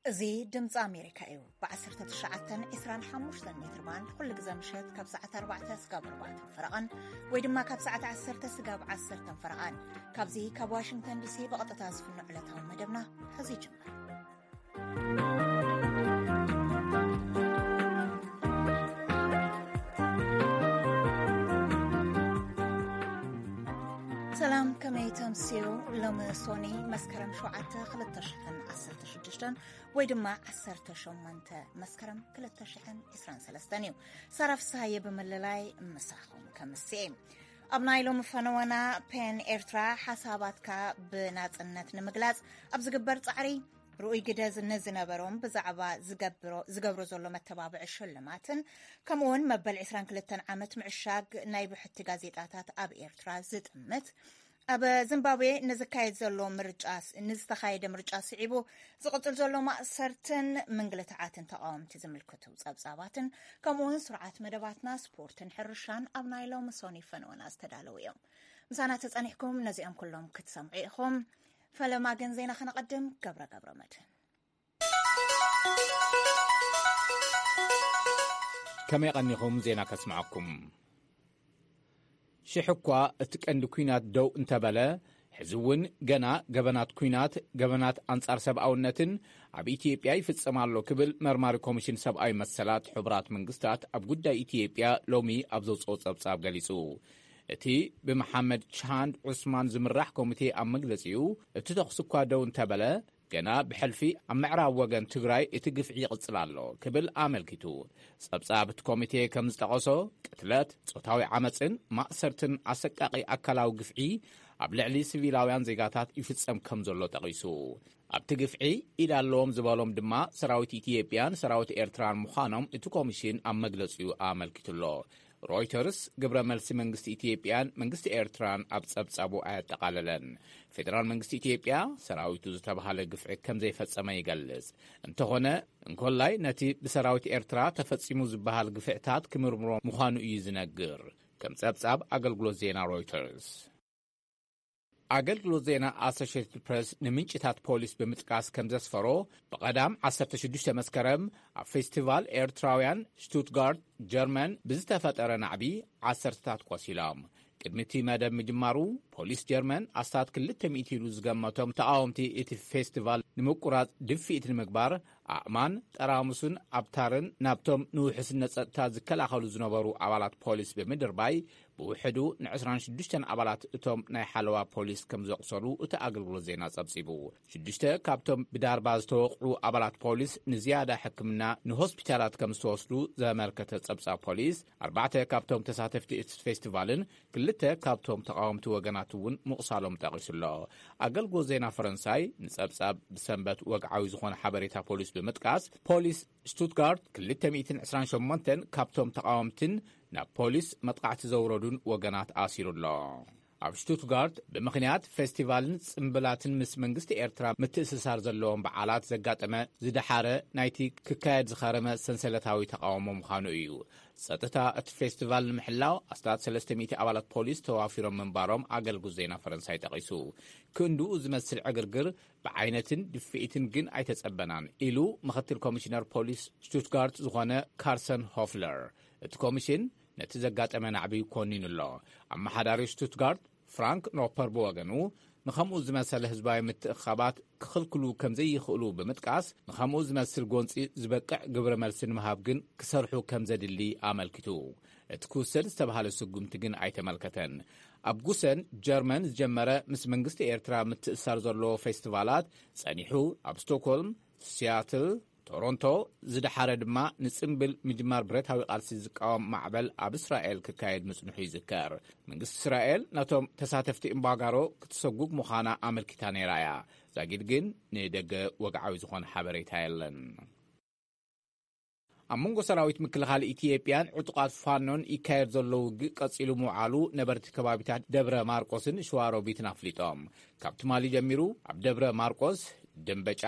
እዚ ድምፂ ኣሜሪካ እዩ። ብ1925 ሜትር ባንድ ኩሉ ግዜ ምሸት ካብ ሰዓት 4 ስጋብ 4 ፈረቓን ወይ ድማ ካብ ሰዓት 10 ስጋብ 10 ፈረቓን ካብዚ ካብ ዋሽንግተን ዲሲ ብቐጥታ ዝፍኖ ዕለታዊ መደብና ሕዚ ይጅምር። ሰላም፣ ከመይ ተምስዩ? ሎሚ ሶኒ መስከረም 7 2016 ወይ ድማ 18 መስከረም 2023 እዩ። ሳራ ፍስሃየ ብምልላይ ምሳኹም ከምስየ። ኣብ ናይ ሎሚ ፈነወና፣ ፔን ኤርትራ ሓሳባትካ ብናጽነት ንምግላጽ ኣብ ዝግበር ጻዕሪ ርኡይ ግደ ንዝነበሮም ብዛዕባ ዝገብሮ፣ ዝገብሮ ዘሎ መተባብዒ ሽልማትን ከምኡውን መበል 22 ዓመት ምዕሻግ ናይ ብሕቲ ጋዜጣታት ኣብ ኤርትራ ዝጥምት፣ ኣብ ዚምባብዌ ንዝካየድ ዘሎ ምርጫ፣ ንዝተኻየደ ምርጫ ስዒቡ ዝቕጽል ዘሎ ማእሰርትን ምንግልታዓትን ተቃወምቲ ዝምልክቱ ጸብጻባትን ከምኡውን ስርዓት መደባትና ስፖርትን ሕርሻን ኣብ ናይ ሎሚ ሶኒ ፈነወና ዝተዳለዉ እዮም። ምሳና ተጸኒሕኩም ነዚኦም ኩሎም ክትሰምዑ ኢኹም። ፈለማ ግን ዜና ከነቐድም። ገብረ ገብረ መድህን። ከመይ ቀኒኹም? ዜና ከስምዓኩም። ሽሕ እኳ እቲ ቀንዲ ኲናት ደው እንተበለ፣ ሕዚ እውን ገና ገበናት ኲናት፣ ገበናት ኣንጻር ሰብኣውነትን ኣብ ኢትዮጵያ ይፍጸም ኣሎ ክብል መርማሪ ኮሚሽን ሰብኣዊ መሰላት ሕቡራት መንግስታት ኣብ ጉዳይ ኢትዮጵያ ሎሚ ኣብ ዘውጽኦ ጸብጻብ ገሊጹ። እቲ ብመሓመድ ቻንድ ዑስማን ዝምራሕ ኮሚቴ ኣብ መግለጺኡ፣ እቲ ተኹሲ እኳ ደው እንተበለ፣ ገና ብሕልፊ ኣብ ምዕራብ ወገን ትግራይ እቲ ግፍዒ ይቕጽል ኣሎ ክብል ኣመልኪቱ። ጸብጻብ እቲ ኮሚቴ ከም ዝጠቐሶ፣ ቅትለት፣ ጾታዊ ዓመጽን ማእሰርትን ኣሰቃቒ ኣካላዊ ግፍዒ ኣብ ልዕሊ ሲቪላውያን ዜጋታት ይፍጸም ከም ዘሎ ጠቒሱ። ኣብቲ ግፍዒ ኢድ ኣለዎም ዝበሎም ድማ ሰራዊት ኢትዮጵያን ሰራዊት ኤርትራን ምዃኖም እቲ ኮሚሽን ኣብ መግለጺኡ ኣመልኪቱ ኣሎ። ሮይተርስ ግብረ መልሲ መንግስቲ ኢትዮጵያን መንግስቲ ኤርትራን ኣብ ጸብጻቡ ኣየጠቓለለን። ፌደራል መንግስቲ ኢትዮጵያ ሰራዊቱ ዝተባሃለ ግፍዒ ከም ዘይፈጸመ ይገልጽ። እንተኾነ፣ እንኮላይ ነቲ ብሰራዊት ኤርትራ ተፈጺሙ ዝበሃል ግፍዕታት ክምርምሮ ምዃኑ እዩ ዝነግር፣ ከም ጸብጻብ ኣገልግሎት ዜና ሮይተርስ። ኣገልግሎት ዜና ኣሶሽየትድ ፕሬስ ንምንጭታት ፖሊስ ብምጥቃስ ከም ዘስፈሮ፣ ብቐዳም 16 መስከረም ኣብ ፌስቲቫል ኤርትራውያን ሽቱትጋርት ጀርመን ብዝተፈጠረ ናዕቢ ዓሰርተታት ቆሲሎም። ቅድሚ እቲ መደብ ምጅማሩ፣ ፖሊስ ጀርመን ኣስታት 200 ኢሉ ዝገመቶም ተቓወምቲ እቲ ፌስቲቫል ንምቁራጽ ድፍኢት ንምግባር፣ ኣእማን፣ ጠራሙስን ኣብታርን ናብቶም ንውሕስነት ጸጥታ ዝከላኸሉ ዝነበሩ ኣባላት ፖሊስ ብምድርባይ፣ ብውሕዱ ን26 ኣባላት እቶም ናይ ሓለዋ ፖሊስ ከም ዘቑሰሉ እቲ ኣገልግሎት ዜና ጸብጺቡ። ሽዱሽተ ካብቶም ብዳርባ ዝተወቕዑ ኣባላት ፖሊስ ንዝያዳ ሕክምና ንሆስፒታላት ከም ዝተወስዱ ዘመልከተ ጸብጻብ ፖሊስ፣ ኣርባዕተ ካብቶም ተሳተፍቲ እቲ ፌስቲቫልን ክልተ ካብቶም ተቓወምቲ ወገናት እውን ምቑሳሎም ጠቒሱ ኣሎ። ኣገልግሎት ዜና ፈረንሳይ ንጸብጻብ ብሰንበት ወግዓዊ ዝኾነ ሓበሬታ ፖሊስ ብምጥቃስ፣ ፖሊስ ሽቱትጋርት 228 ካብቶም ተቓወምትን ናብ ፖሊስ መጥቃዕቲ ዘውረዱን ወገናት ኣሲሩ ኣሎ። ኣብ ሽቱትጋርት ብምኽንያት ፌስቲቫልን ጽምብላትን ምስ መንግስቲ ኤርትራ ምትእስሳር ዘለዎም በዓላት ዘጋጠመ ዝደሓረ ናይቲ ክካየድ ዝኸረመ ሰንሰለታዊ ተቓውሞ ምዃኑ እዩ። ጸጥታ እቲ ፌስቲቫል ንምሕላው ኣስታት 300 ኣባላት ፖሊስ ተዋፊሮም ምንባሮም ኣገልግሎት ዜና ፈረንሳይ ጠቒሱ። ክንድኡ ዝመስል ዕግርግር ብዓይነትን ድፍኢትን ግን ኣይተጸበናን ኢሉ ምኽትል ኮሚሽነር ፖሊስ ሽቱትጋርት ዝኾነ ካርሰን ሆፍለር። እቲ ኮሚሽን ነቲ ዘጋጠመ ናዕቢ ኮኒኑ ኣሎ። ኣመሓዳሪ ሽቱትጋርት ፍራንክ ኖፐር ብወገኑ፣ ንኸምኡ ዝመሰለ ህዝባዊ ምትእኽኻባት ክኽልክሉ ከም ዘይኽእሉ ብምጥቃስ፣ ንኸምኡ ዝመስል ጎንጺ ዝበቅዕ ግብረ መልሲ ንምሃብ ግን ክሰርሑ ከም ዘድሊ ኣመልኪቱ። እቲ ክውሰድ ዝተባህለ ስጉምቲ ግን ኣይተመልከተን። ኣብ ጉሰን ጀርመን ዝጀመረ ምስ መንግስቲ ኤርትራ ምትእሳር ዘለዎ ፌስቲቫላት ጸኒሑ፣ ኣብ ስቶክሆልም፣ ሲያትል፣ ቶሮንቶ፣ ዝደሓረ ድማ ንጽምብል ምጅማር ብረታዊ ቃልሲ ዝቃወም ማዕበል ኣብ እስራኤል ክካየድ ምጽንሑ ይዝከር። መንግስቲ እስራኤል ነቶም ተሳተፍቲ እምባጋሮ ክትሰጉግ ምዃና ኣመልኪታ ነይራ እያ። ዛጊድ ግን ንደገ ወግዓዊ ዝኾነ ሓበሬታ የለን። ኣብ መንጎ ሰራዊት ምክልኻል ኢትዮጵያን ዕጡቓት ፋኖን ይካየድ ዘሎ ውግእ ቀጺሉ ምውዓሉ ነበርቲ ከባቢታት ደብረ ማርቆስን ሸዋሮቢትን ኣፍሊጦም። ካብ ትማሊ ጀሚሩ ኣብ ደብረ ማርቆስ፣ ደንበጫ፣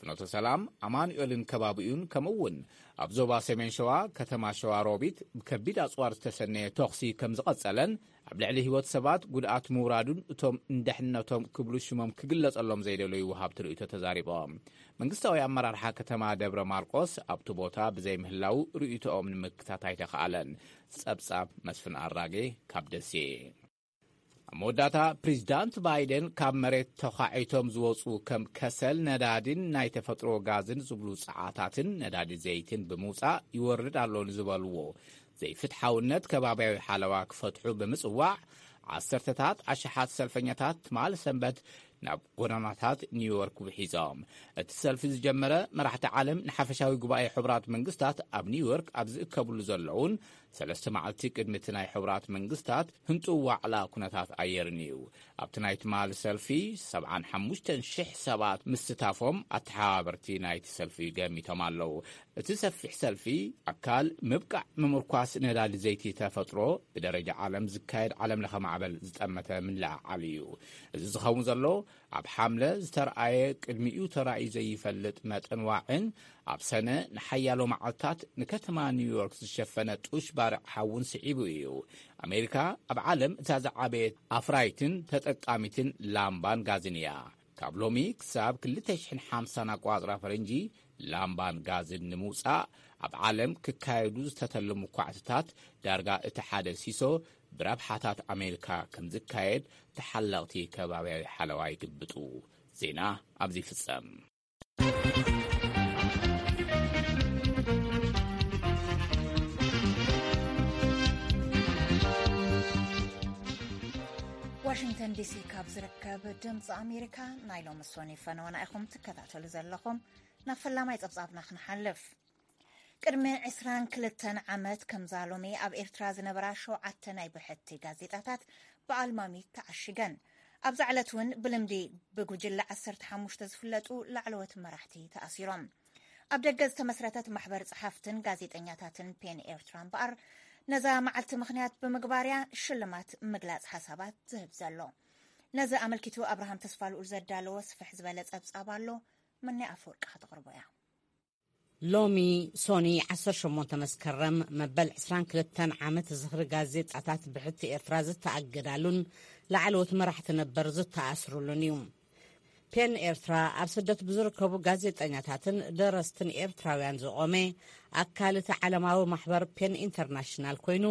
ፍኖተ ሰላም፣ ኣማኑኤልን ከባቢኡን፣ ከምኡ እውን ኣብ ዞባ ሰሜን ሸዋ፣ ከተማ ሸዋ ሮቢት፣ ብከቢድ ኣጽዋር ዝተሰነየ ተኹሲ ከም ዝቐጸለን፣ ኣብ ልዕሊ ህይወት ሰባት ጉድኣት ምውራዱን፣ እቶም ንድሕነቶም ክብሉ ሽሞም ክግለጸሎም ዘይደለዩ ወሃብቲ ርእይቶ ተዛሪቦም። መንግስታዊ ኣመራርሓ ከተማ ደብረ ማርቆስ ኣብቲ ቦታ ብዘይምህላው ርእይቶኦም ንምክታት ኣይተኻኣለን። ጸብጻብ መስፍን ኣራጌ ካብ ደሴ። ኣብ መወዳእታ፣ ፕሬዚዳንት ባይደን ካብ መሬት ተዃዒቶም ዝወፁ ከም ከሰል፣ ነዳዲን ናይ ተፈጥሮ ጋዝን ዝብሉ ጸዓታትን ነዳዲ ዘይትን ብምውጻእ ይወርድ ኣሎ ንዝበልዎ ዘይፍትሓውነት ከባቢያዊ ሓለዋ ክፈትሑ ብምጽዋዕ፣ ዓሰርተታት ኣሽሓት ሰልፈኛታት ትማሊ ሰንበት ናብ ጎደናታት ኒውዮርክ ውሒዞም። እቲ ሰልፊ ዝጀመረ፣ መራሕቲ ዓለም ንሓፈሻዊ ጉባኤ ሕቡራት መንግስታት ኣብ ኒውዮርክ ኣብ ዝእከብሉ ዘለውን፣ ሰለስተ መዓልቲ ቅድሚ እቲ ናይ ሕቡራት መንግስታት ህንጡው ዋዕላ ኩነታት ኣየርን እዩ። ኣብቲ ናይ ትማሊ ሰልፊ፣ ሰብዓን ሓሙሽተን ሽሕ ሰባት ምስታፎም ኣተሓባበርቲ ናይቲ ሰልፊ ገሚቶም ኣለዉ። እቲ ሰፊሕ ሰልፊ፣ ኣካል ምብቃዕ ምምርኳስ ነዳዲ ዘይቲ ተፈጥሮ፣ ብደረጃ ዓለም ዝካየድ ዓለምለኸ ማዕበል ዝጠመተ ምልዕዓል እዩ። እዚ ዝኸውን ዘሎ፣ ኣብ ሓምለ ዝተርኣየ፣ ቅድሚኡ ተራእዩ ዘይፈልጥ መጠን ዋዒን፣ ኣብ ሰነ ንሓያሎ መዓልታት ንከተማ ኒውዮርክ ዝሸፈነ ጡሽ ባርዕ ሓውን ስዒቡ እዩ። ኣሜሪካ ኣብ ዓለም እታ ዝዓበየት ኣፍራይትን ተጠቃሚትን ላምባን ጋዝን እያ። ካብ ሎሚ ክሳብ ክልተ ሽሕን ሓምሳን ኣቋጽራ ፈረንጂ፣ ላምባን ጋዝን ንምውጻእ ኣብ ዓለም ክካየዱ ዝተተለሙ ኳዕትታት፣ ዳርጋ እቲ ሓደ ሲሶ ብረብሓታት ኣሜሪካ ከም ዝካየድ ተሓለቕቲ ከባብያዊ ሓለዋ ይግብጡ። ዜና ኣብዚ ይፍጸም። ዋሽንግተን ዲሲ ካብ ዝርከብ ድምፂ ኣሜሪካ፣ ናይ ሎሚ ሶኒ ፈነወና ኢኹም ትከታተሉ ዘለኹም። ናብ ፈላማይ ጸብጻብና ክንሓልፍ። ቅድሚ ዕስራን ክልተን ዓመት ከምዛ ሎሚ ኣብ ኤርትራ ዝነበራ ሸውዓተ ናይ ብሕቲ ጋዜጣታት ብኣልማሚ ተዓሺገን። ኣብዛ ዕለት እውን ብልምዲ ብጉጅለ ዓሰርተ ሓሙሽተ ዝፍለጡ ላዕለዎት መራሕቲ ተኣሲሮም። ኣብ ደገ ዝተመስረተት ማሕበር ጸሓፍትን ጋዜጠኛታትን ፔን ኤርትራ እምበኣር፣ ነዛ መዓልቲ ምኽንያት ብምግባር እያ ሽልማት ምግላጽ ሓሳባት ዝህብ ዘሎ። ነዚ ኣመልኪቱ ኣብርሃም ተስፋልኡል ዘዳለዎ ስፍሕ ዝበለ ጸብጻብ ኣሎ። መኒ ኣፈወርቂ ከተቕርቦ እያ። ሎሚ ሶኒ ዓሰርተ ሸሞንተ መስከረም መበል ዕስራን ክልተን ዓመት ዝኽሪ ጋዜጣታት ብሕቲ ኤርትራ ዝተኣገዳሉን ላዕለዎት መራሕቲ ነበር ዝተኣስሩሉን እዩ። ፔን ኤርትራ ኣብ ስደት ብዝርከቡ ጋዜጠኛታትን ደረስትን ኤርትራውያን ዝቖመ ኣካል እቲ ዓለማዊ ማሕበር ፔን ኢንተርናሽናል ኮይኑ፣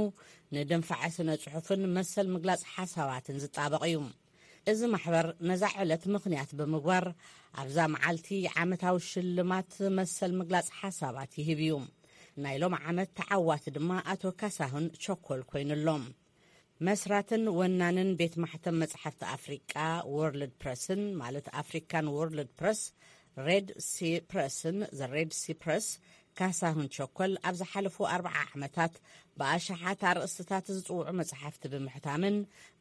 ንድንፋዐ ስነ ጽሑፍን መሰል ምግላጽ ሓሳባትን ዝጣበቕ እዩ። እዚ ማሕበር ነዛ ዕለት ምኽንያት ብምግባር፣ ኣብዛ መዓልቲ ዓመታዊ ሽልማት መሰል ምግላጽ ሓሳባት ይህብ እዩ። ናይ ሎም ዓመት ተዓዋቲ ድማ ኣቶ ካሳሁን ቸኮል ኮይኑ ኣሎ። መስራትን ወናንን ቤት ማሕተም መጽሓፍቲ ኣፍሪቃ፣ ወርልድ ፕረስን፣ ማለት ኣፍሪካን ወርልድ ፕረስ፣ ሬድ ሲ ፕረስን፣ ዘ ሬድ ሲ ፕረስ፣ ካሳሁን ቸኮል ኣብ ዝሓለፉ ኣርብዓ ዓመታት ብኣሽሓት ኣርእስትታት ዝጽውዑ መጽሓፍቲ ብምሕታምን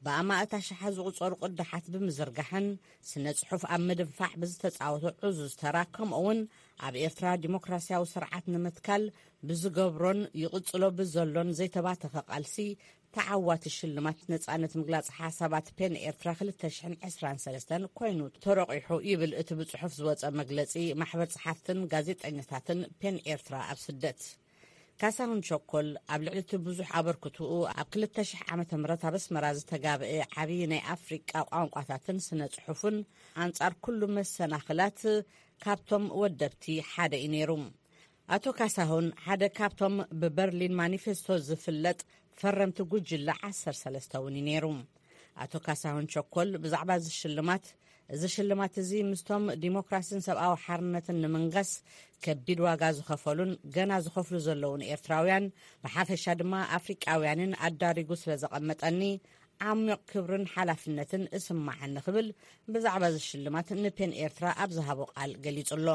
ብኣማእት ኣሽሓት ዝቑጸሩ ቅዳሓት ብምዝርጋሕን ስነ ጽሑፍ ኣብ ምድንፋዕ ብዝተጻወቶ ዕዙዝ ተራ፣ ከምኡ እውን ኣብ ኤርትራ ዲሞክራስያዊ ስርዓት ንምትካል ብዝገብሮን ይቕጽሎ ብዘሎን ዘይተባተኸ ቃልሲ፣ ተዓዋቲ ሽልማት ነጻነት ምግላጽ ሓሳባት ፔን ኤርትራ ክልተ ሽሕን ዕስራን ሰለስተን ኮይኑ ተረቂሑ ይብል እቲ ብጽሑፍ ዝወጸ መግለጺ ማሕበር ጸሓፍትን ጋዜጠኛታትን ፔን ኤርትራ ኣብ ስደት። ካሳሁን ቸኮል ኣብ ልዕሊ እቲ ብዙሕ ኣበርክትኡ ኣብ ክልተ ሽሕ ዓመተ ምህረት ኣብ ኣስመራ ዝተጋብአ ዓብዪ ናይ ኣፍሪቃ ቋንቋታትን ስነ ጽሑፍን ኣንጻር ኩሉ መሰናኽላት ካብቶም ወደብቲ ሓደ እዩ ነይሩ። ኣቶ ካሳሁን ሓደ ካብቶም ብበርሊን ማኒፌስቶ ዝፍለጥ ፈረምቲ ጉጅለ ዓሰርተ ሰለስተ እውን እዩ ነይሩ። ኣቶ ካሳሁን ቸኮል ብዛዕባ እዚ ሽልማት፣ እዚ ሽልማት እዚ ምስቶም ዲሞክራሲን ሰብኣዊ ሓርነትን ንምንጋስ ከቢድ ዋጋ ዝኸፈሉን ገና ዝኸፍሉ ዘለውን ኤርትራውያን፣ ብሓፈሻ ድማ ኣፍሪቃውያንን ኣዳሪጉ ስለ ዘቐመጠኒ፣ ዓሚቕ ክብርን ሓላፍነትን እስማዓኒ ክብል ብዛዕባ እዚ ሽልማት ንፔን ኤርትራ ኣብ ዝሃቦ ቃል ገሊጹ ኣሎ።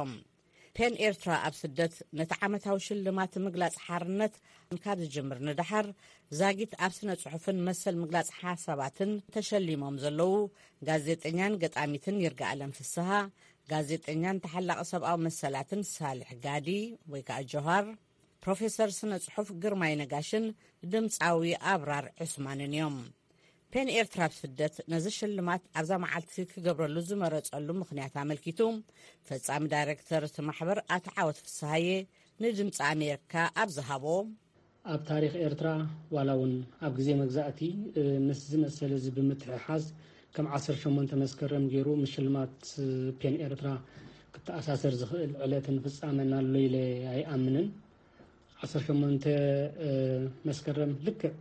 ፔን ኤርትራ ኣብ ስደት ነቲ ዓመታዊ ሽልማት ምግላጽ ሓርነት ካብ ዝጅምር ንደሓር፣ ዛጊት ኣብ ስነ ጽሑፍን መሰል ምግላጽ ሓሳባትን ተሸሊሞም ዘለዉ ጋዜጠኛን ገጣሚትን ይርጋኣለም ፍስሃ፣ ጋዜጠኛን ተሓላቒ ሰብኣዊ መሰላትን ሳልሕ ጋዲ ወይ ከኣ ጆሃር፣ ፕሮፌሰር ስነ ጽሑፍ ግርማይ ነጋሽን ድምጻዊ ኣብራር ዑስማንን እዮም። ፔን ኤርትራ ኣብ ስደት ነዚ ሽልማት ኣብዛ መዓልቲ ክገብረሉ ዝመረጸሉ ምኽንያት ኣመልኪቱ፣ ፈጻሚ ዳይሬክተር እቲ ማሕበር ኣቶ ዓወት ፍስሃየ ንድምፂ ኣሜሪካ ኣብ ዝሃቦ፣ ኣብ ታሪኽ ኤርትራ፣ ዋላ እውን ኣብ ግዜ መግዛእቲ፣ እ፣ ምስ ዝመሰለ እዚ ብምትሕሓዝ፣ ከም ዓሰርተ ሸሞንተ መስከረም ገይሩ ምሽልማት፣ እ፣ ፔን ኤርትራ ክተኣሳሰር ዝኽእል ዕለትን ፍጻመን ኣሎ ኢለ ኣይኣምንን። ዓሰርተ ሸሞንተ፣ እ፣ መስከረም፣ ልክዕ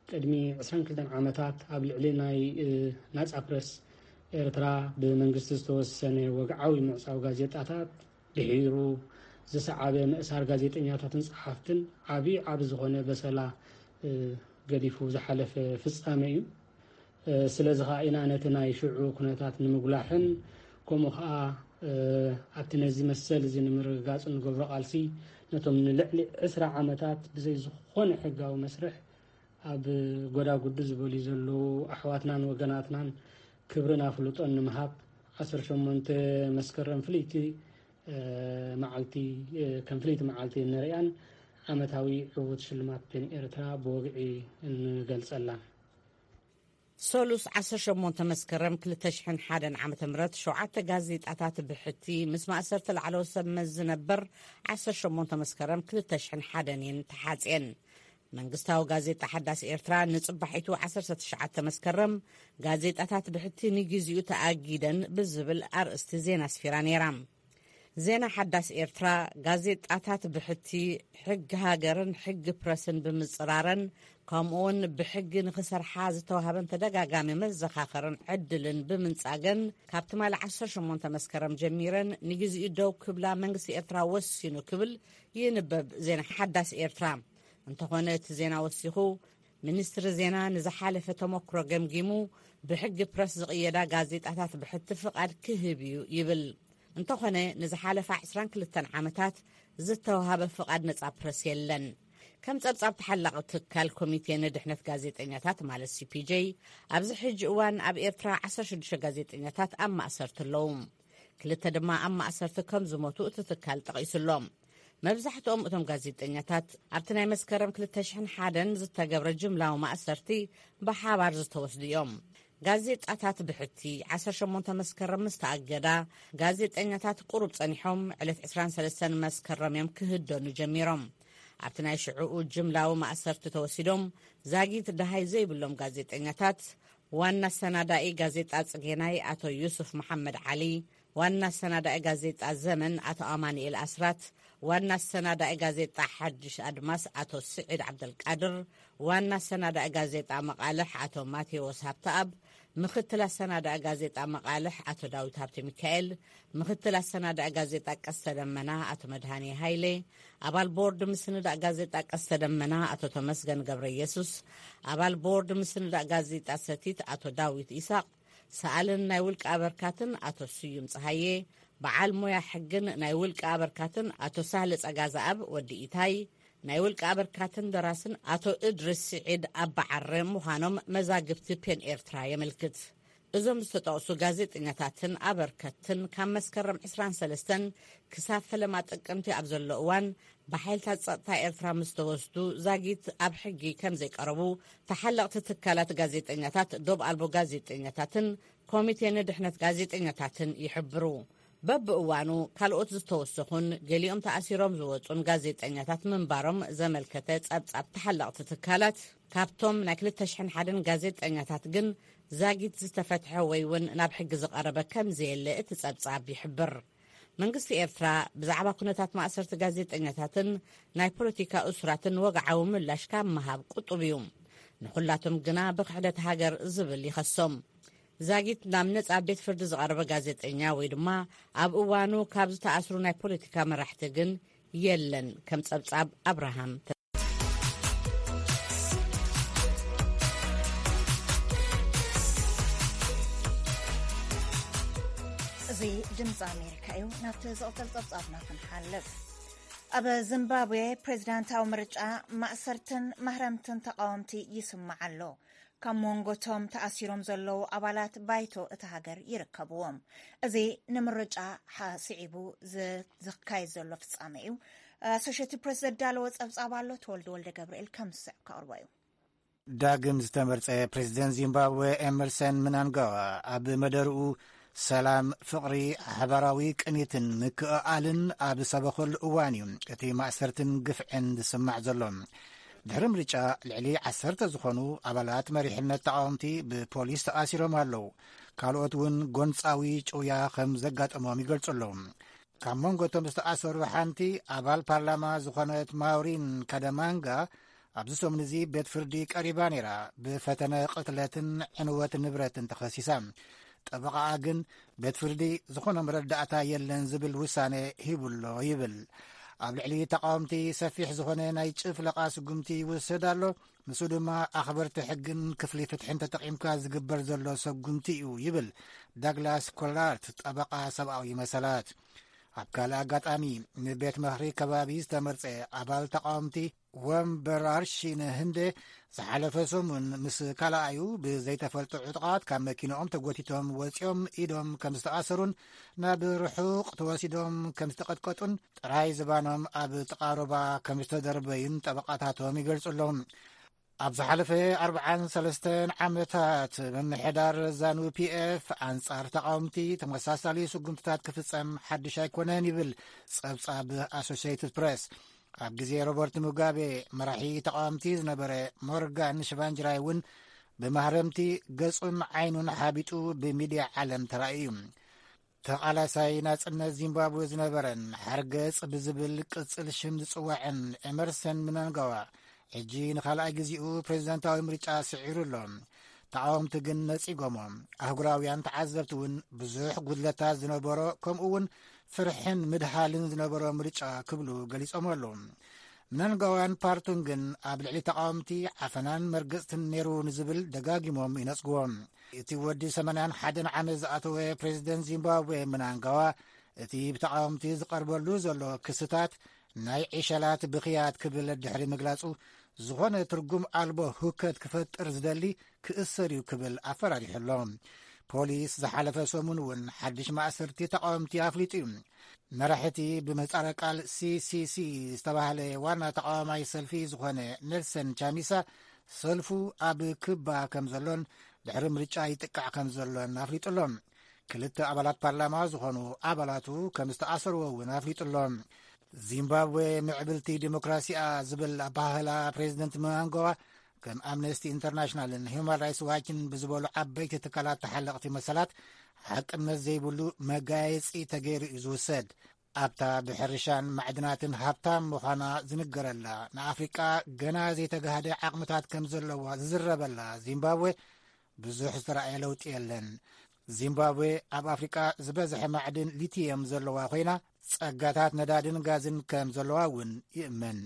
ቅድሚ ዕስራን ክልተን ዓመታት፣ ኣብ ልዕሊ ናይ፣ እ፣ ናጻ ፕረስ ኤርትራ ብመንግስቲ ዝተወሰነ ወግዓዊ ምዕጻው ጋዜጣታት፣ ድሒሩ ዝሰዓበ ምእሳር ጋዜጠኛታትን ጸሓፍትን፣ ዓቢ ዓቢ ዝኾነ በሰላ፣ እ፣ ገዲፉ ዝሓለፈ ፍጻመ እዩ። እ፣ ስለዚ ኸኣ ኢና ነቲ ናይ ሽዑ ኩነታት ንምጉላሕን፣ ከምኡ ኸኣ፣ እ፣ ኣብቲ ነዚ መሰል እዚ ንምርግጋጽ እንገብሮ ቃልሲ፣ ነቶም ንልዕሊ ዕስራ ዓመታት ብዘይ ዝኾነ ሕጋዊ መስርሕ ኣብ ጎዳጉዲ ዝበልዩ ዘለዉ ኣሕዋትናን ወገናትናን ክብርን ኣፍልጦን ንምሃብ፣ ዓሰርተ ሸሞንተ መስከረም ፍልይቲ፣ እ፣ መዓልቲ፣ እ፣ ከም ፍልይቲ መዓልቲ ንርእያን ዓመታዊ ዕዉት ሽልማት ፔን ኤርትራ ብወግዒ እንገልጸላን። ሰሉስ ዓሰርተ ሸሞንተ መስከረም ክልተ ሽሕን ሓደን ዓመተ ምህረት ሸውዓተ ጋዜጣታት ብሕቲ ምስ ማእሰርቲ ላዕለዎት ሰብ መዚ ነበር ዓሰርተ ሸሞንተ መስከረም ክልተ ሽሕን ሓደን እየን ተሓጽየን። መንግስታዊ ጋዜጣ ሓዳስ ኤርትራ ንጽባሒቱ ዓሰርተ ትሽዓተ መስከረም ጋዜጣታት ብሕቲ ንግዜኡ ተኣጊደን ብዝብል ኣርእስቲ ዜና ኣስፊራ ነይራ። ዜና ሓዳስ ኤርትራ፣ ጋዜጣታት ብሕቲ፣ ሕጊ ሃገርን ሕጊ ፕረስን ብምጽራረን፣ ከምኡውን ብሕጊ ንኽሰርሓ ዝተዋህበን ተደጋጋሚ መዘኻኸርን ዕድልን ብምንጻገን፣ ካብ ትማሊ ዓሰርተ ሸሞንተ መስከረም ጀሚረን ንግዜኡ ደው ክብላ መንግስቲ ኤርትራ ወሲኑ ክብል ይንበብ ዜና ሓዳስ ኤርትራ። እንተኾነ እቲ ዜና ወሲኹ፣ ሚኒስትሪ ዜና ንዝሓለፈ ተመክሮ ገምጊሙ፣ ብሕጊ ፕረስ ዝቕየዳ ጋዜጣታት ብሕቲ ፍቓድ ክህብ እዩ ይብል። እንተኾነ፣ ንዝሓለፋ ዕስራን ክልተን ዓመታት ዝተዋሃበ ፍቓድ ነጻ ፕረስ የለን። ከም ጸብጻብ ተሓላቒ ትካል ኮሚቴ ንድሕነት ጋዜጠኛታት ማለት ሲ ፒ ጄ፣ ኣብዚ ሕጂ እዋን ኣብ ኤርትራ ዓሰርተ ሽዱሽተ ጋዜጠኛታት ኣብ ማእሰርቲ ኣለዉ። ክልተ ድማ ኣብ ማእሰርቲ ከም ዝሞቱ እቲ ትካል ጠቒሱ ኣሎ። መብዛሕትኦም እቶም ጋዜጠኛታት ኣብቲ ናይ መስከረም ክልተ ሽሕን ሓደን ዝተገብረ ጅምላዊ ማእሰርቲ ብሓባር ዝተወስዱ እዮም። ጋዜጣታት ብሕቲ ዓሰርተ ሸሞንተ መስከረም ምስ ተኣገዳ፣ ጋዜጠኛታት ቁሩብ ጸኒሖም ዕለት ዕስራን ሰለስተን መስከረም እዮም ክህደኑ ጀሚሮም። ኣብቲ ናይ ሽዕኡ ጅምላዊ ማእሰርቲ ተወሲዶም ዛጊት ደሃይ ዘይብሎም ጋዜጠኛታት፣ ዋና ኣሰናዳኢ ጋዜጣ ጽጌናይ ኣቶ ዩሱፍ መሓመድ ዓሊ፣ ዋና ኣሰናዳኢ ጋዜጣ ዘመን ኣቶ ኣማኑኤል ኣስራት፣ ዋና ኣሰናዳኢ ጋዜጣ ሓድሽ ኣድማስ ኣቶ ስዒድ ዓብደልቃድር፣ ዋና ኣሰናዳኢ ጋዜጣ መቓልሕ ኣቶ ማቴዎስ ሃብተኣብ፣ ምኽትል ኣሰናዳኢ ጋዜጣ መቓልሕ ኣቶ ዳዊት ሃብተ ሚካኤል፣ ምኽትል ኣሰናዳኢ ጋዜጣ ቀስተ ደመና ኣቶ መድሃኔ ሃይሌ፣ ኣባል ቦርድ ምስንዳእ ጋዜጣ ቀስተ ደመና ኣቶ ተመስገን ገብረ ኢየሱስ፣ ኣባል ቦርድ ምስንዳእ ጋዜጣ ሰቲት ኣቶ ዳዊት ኢሳቕ፣ ሰኣልን ናይ ውልቂ ኣበርካትን ኣቶ ስዩም ጸሃየ፣ በዓል ሞያ ሕግን ናይ ውልቂ ኣበርካትን ኣቶ ሳህለ ጸጋዝኣብ ወዲ ኢታይ፣ ናይ ውልቂ ኣበርካትን ደራስን ኣቶ እድሪስ ስዒድ ኣባዓረ ምዃኖም መዛግብቲ ፔን ኤርትራ የመልክት። እዞም ዝተጠቕሱ ጋዜጠኛታትን ኣበርከትን ካብ መስከረም ዕስራን ሰለስተን ክሳብ ፈለማ ጥቅምቲ ኣብ ዘሎ እዋን ብሓይልታት ጸጥታ ኤርትራ ምስ ተወስዱ ዛጊት ኣብ ሕጊ ከም ዘይቀረቡ ተሓለቕቲ ትካላት ጋዜጠኛታት፣ ዶብ ኣልቦ ጋዜጠኛታትን ኮሚቴ ንድሕነት ጋዜጠኛታትን ይሕብሩ። በብእዋኑ ካልኦት ዝተወሰኹን ገሊኦም ተኣሲሮም ዝወጹን ጋዜጠኛታት ምንባሮም ዘመልከተ ጸብጻብ ተሓለቕቲ ትካላት፣ ካብቶም ናይ ክልተ ሽሕን ሓደን ጋዜጠኛታት ግን ዛጊት ዝተፈትሐ ወይ እውን ናብ ሕጊ ዝቐረበ ከም ዘየለ እቲ ጸብጻብ ይሕብር። መንግስቲ ኤርትራ ብዛዕባ ኩነታት ማእሰርቲ ጋዜጠኛታትን ናይ ፖለቲካ እሱራትን ወግዓዊ ምላሽ ካብ ምሃብ ቁጡብ እዩ። ንኹላቶም ግና ብክሕደት ሃገር ዝብል ይኸሶም። ዛጊት ናብ ነጻ ቤት ፍርዲ ዝቐረበ ጋዜጠኛ ወይ ድማ ኣብ እዋኑ ካብ ዝተኣስሩ ናይ ፖለቲካ መራሕቲ ግን የለን። ከም ጸብጻብ ኣብርሃም። እዚ ድምፂ ኣሜሪካ እዩ። ናብቲ ዝቕጽል ጸብጻብና ክንሓልፍ። ኣብ ዚምባብዌ ፕሬዚዳንታዊ ምርጫ ማእሰርትን ማህረምትን ተቓወምቲ ይስማዕ ኣሎ። ካብ መንጎ እቶም ተኣሲሮም ዘለዉ ኣባላት ባይቶ እታ ሃገር ይርከብዎም። እዚ ንምርጫ ሓ-፣ ስዒቡ ዝ-፣ ዝካየድ ዘሎ ፍጻመ እዩ። ኣሶሼትድ ፕሬስ ዘዳለወ ጸብጻብ ኣሎ፣ ተወልደ ወልደ ገብርኤል ከም ዝስዕ ከቕርቦ እዩ። ዳግም ዝተመርጸ ፕሬዝደንት ዚምባብወ ኤመርሰን ምናንጋዋ ኣብ መደርኡ፣ ሰላም፣ ፍቕሪ፣ ሓባራዊ ቅኒትን ምክእኣልን ኣብ ዝሰበኸሉ እዋን እዩ እቲ ማእሰርትን ግፍዕን ዝስማዕ ዘሎ። ድሕሪ ምርጫ፣ ልዕሊ ዓሰርተ ዝኾኑ ኣባላት መሪሕነት ተቓወምቲ ብፖሊስ ተኣሲሮም ኣለዉ። ካልኦት እውን ጎንጻዊ ጭውያ ከም ዘጋጠሞም ይገልጹ ኣለዉ። ካብ መንጎ እቶም ዝተኣሰሩ ሓንቲ፣ ኣባል ፓርላማ ዝኾነት ማውሪን ካደማንጋ፣ ኣብዚ ሰሙን እዚ ቤት ፍርዲ ቀሪባ ነይራ። ብፈተነ ቅትለትን ዕንወት ንብረትን ተኸሲሳ። ጠበቓኣ ግን፣ ቤት ፍርዲ ዝኾነ መረዳእታ የለን ዝብል ውሳነ ሂቡሎ ይብል። ኣብ ልዕሊ ተቓወምቲ ሰፊሕ ዝኾነ ናይ ጭፍለቓ ስጉምቲ ይውሰድ ኣሎ። ንሱ ድማ ኣኽበርቲ ሕግን ክፍሊ ፍትሕን ተጠቒምካ ዝግበር ዘሎ ሰጉምቲ እዩ ይብል ዳግላስ ኮላርት፣ ጠበቓ ሰብኣዊ መሰላት። ኣብ ካልእ ኣጋጣሚ፣ ንቤት ምኽሪ ከባቢ ዝተመርጸ ኣባል ተቓወምቲ ወንበር ኣርሺን ህንደ፣ ዝሓለፈ ሰሙን ምስ ካልኣዩ ብዘይተፈልጡ ዕጡቓት ካብ መኪንኦም ተጎቲቶም ወጺኦም ኢዶም ከም ዝተኣሰሩን ናብ ርሑቕ ተወሲዶም ከም ዝተቐጥቀጡን ጥራይ ዝባኖም ኣብ ጥቓ ሩባ ከም ዝተደርበዩን ጠበቓታቶም ይገልጹ ኣለዉ። ኣብ ዝሓለፈ ኣርብዓን ሰለስተን ዓመታት፣ ምምሕዳር ዛኑ ፒኤፍ ኣንጻር ተቓወምቲ ተመሳሳሊ ስጉምትታት ክፍጸም ሓድሽ ኣይኮነን ይብል ጸብጻብ ኣሶሲየትድ ፕሬስ። ኣብ ግዜ ሮበርት ሙጋቤ፣ መራሒ ተቓወምቲ ዝነበረ ሞርጋን ሽቫንጅራይ እውን ብማህረምቲ ገጹን ዓይኑን ሓቢጡ ብሚድያ ዓለም ተራእዩ እዩ። ተቓላሳይ ናጽነት ዚምባብወ ዝነበረን ሓርገጽ ብዝብል ቅጽል ሽም ዝጽዋዕን ኤመርሰን ምናንጋዋ፣ ሕጂ ንኻልኣይ ግዜኡ ፕሬዝደንታዊ ምርጫ ስዒሩ ኣሎ። ተቓወምቲ ግን ነጺጎሞ። ኣህጉራውያን ተዓዘብቲ እውን፣ ብዙሕ ጉድለታት ዝነበሮ፣ ከምኡ እውን ፍርሕን ምድሃልን ዝነበሮ ምርጫ ክብሉ ገሊጾም ኣለዉ። ምናንጋዋን ፓርቱን ግን ኣብ ልዕሊ ተቓወምቲ ዓፈናን መርገጽትን ነይሩ ንዝብል ደጋጊሞም ይነጽግዎ። እቲ ወዲ ሰማንያን ሓደን ዓመት ዝኣተወ ፕሬዝደንት ዚምባብዌ ምናንጋዋ፣ እቲ ብተቓወምቲ ዝቐርበሉ ዘሎ ክስታት ናይ ዒሸላት ብኽያት ክብል ድሕሪ ምግላጹ፣ ዝኾነ ትርጉም ኣልቦ ሁከት ክፈጥር ዝደሊ ክእሰር እዩ ክብል ኣፈራሪሑ ኣሎ። ፖሊስ ዝሓለፈ ሰሙን እውን ሓድሽ ማእሰርቲ ተቓወምቲ ኣፍሊጡ እዩ። መራሕቲ ብምህጻረ ቃል ሲሲሲ ዝተባህለ ዋና ተቓዋማይ ሰልፊ ዝኾነ ኔልሰን ቻሚሳ፣ ሰልፉ ኣብ ክባ ከም ዘሎን ድሕሪ ምርጫ ይጥቃዕ ከም ዘሎን ኣፍሊጡ ኣሎ። ክልተ ኣባላት ፓርላማ ዝኾኑ ኣባላቱ ከም ዝተኣሰርዎ እውን ኣፍሊጡ ኣሎ። ዚምባብዌ ምዕብልቲ ዲሞክራሲኣ ዝብል ኣባህላ ፕሬዚደንት ምናንጋዋ፣ ከም ኣምነስቲ ኢንተርናሽናልን ሂውማን ራይትስ ዋችን ብዝበሉ ዓበይቲ ትካላት ተሓለቕቲ መሰላት፣ ሓቅነት ዘይብሉ መጋየጺ ተገይሩ እዩ ዝውሰድ። ኣብታ ብሕርሻን ማዕድናትን ሃብታም ምዃና ዝንገረላ፣ ንኣፍሪቃ ገና ዘይተጋህደ ዓቕምታት ከም ዘለዋ ዝዝረበላ ዚምባብዌ፣ ብዙሕ ዝተራእየ ለውጢ የለን። ዚምባብዌ ኣብ ኣፍሪቃ ዝበዝሐ ማዕድን ሊቲየም ዘለዋ ኮይና፣ ጸጋታት ነዳድን ጋዝን ከም ዘለዋ እውን ይእመን።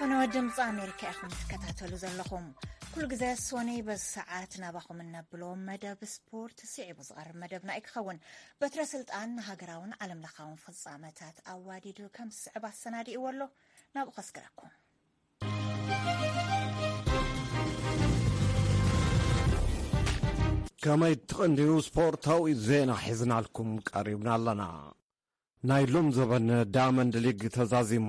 ፈነወ ድምፂ ኣሜሪካ ኢኹም ትከታተሉ ዘለኹም። ኩሉ ግዜ ሶነይ በዚ ሰዓት ናባኹም እነብሎ መደብ ስፖርት ስዒቡ ዝቐርብ መደብና እዩ ክኸውን። በትረ ስልጣን ንሃገራውን ዓለም ለኻውን ፍጻመታት ኣዋዲዱ ከም ዝስዕብ ኣሰናዲእዎ ኣሎ። ናብኡ ከስግረኩም። ከመይ ትቕንድዩ? ስፖርታዊ ዜና ሒዝናልኩም ቀሪብና ኣለና። ናይ ሎም ዘበን ዳያመንድ ሊግ ተዛዚሙ።